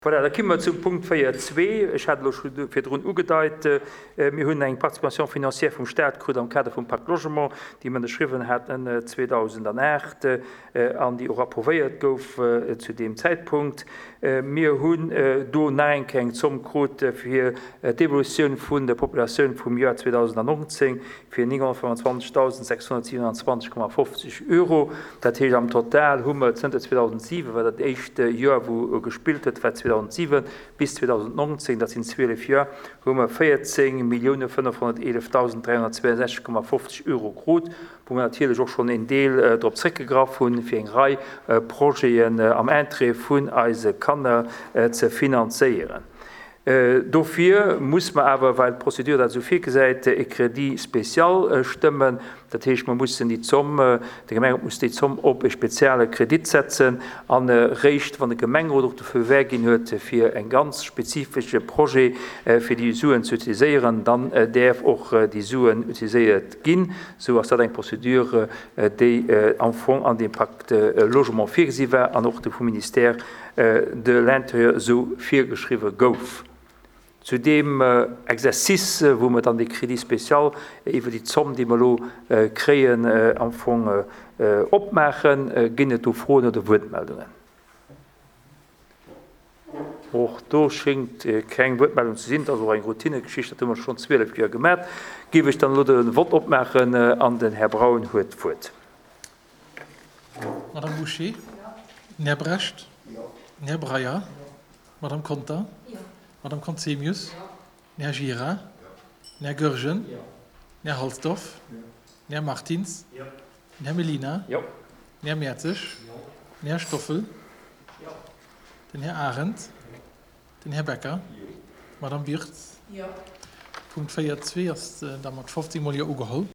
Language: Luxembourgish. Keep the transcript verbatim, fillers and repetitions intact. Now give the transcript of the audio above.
Voilà, da komme mer zum Punkt véier zwee. Ech hat elo scho virdrun ugedeit, mir hunn eng Participation financière vum Stat krut am Kader vum Pacte Logement, déi mer ënnerschriwwen haten zweedausendacht an déi och approuvéiert gouf zu deem Zäitpunkt. Mir hunn do nach eng Kéier eng Zomm krut fir d'Evolutioun vun der Populatioun vum Joer zweedausendnonzéng fir nénghonnertfënnwandzwanzegdausend sechshonnertsiewenanzwanzeg Komma fofzeg Euro. Dat heescht, am Total hu mer zënter zweedausentsiwen, well dat éischt Joer, wou gespillt huet, war zweedausentsiwen, bis zweedausendnonzéng, dat sinn zwielef Joer, hu mer véierzéng Millioune fënnefhonnerteelefdausend dräihonnertzweeënsechzeg Komma fofzeg Euro krut, wou mer natierlech och schonn een Deel drop zréckgegraff hunn, fir eng Rei Projeten am Interêt vun eise Kanner ze finanzéieren. Dofir muss mer awer, well d'Procédure dat esou virgesäit, e Crédit spécial stëmmen. Dat heescht, mer mussen déi Zomm, de Gemengerot muss déi Zomm op e spezielle Kredit setzen an eréischt, wann de Gemengerot och de Feu vert ginn huet fir e ganz spezifesche Projet, fir déi Suen ze utiliséieren, dann däerf och déi Suen utiliséiert ginn. Esou ass dat eng Procédure, déi am Fong an deem Pacte Logement virgesi war an och vum Ministère de l'Intérieur esou virgeschriwwe gouf. Zu deem Exercice, wou mer dann dee Crédit spécial iwwer déi Zomm, déi mer elo kréien, am Fong opmaachen, ginn et do Froen oder Wuertmeldungen? Och do schéngt keng Wuertmeldung ze sinn. Dat ass och eng Routinegeschicht, dat hu mer schonn zwielef Joer gemaach. Géif ech dann elo de Vott opmaachen an den Här Braun huet d'Wuert. Madame Bouché? Den Här Brecht? Den Här Breyer? Madame Conter? Madame Conzemius? Den Här Gira? Den Här Goergen? Den Här Halsdorf? Den Här Martins? Den Här Mellina? Den Här Mertzig? Den Här Stoffel? Den Här Arendt? Den Här Becker? Madame Wirtz? Punkt véier zwee ass da mat fofzéng Mol Jo ugeholl.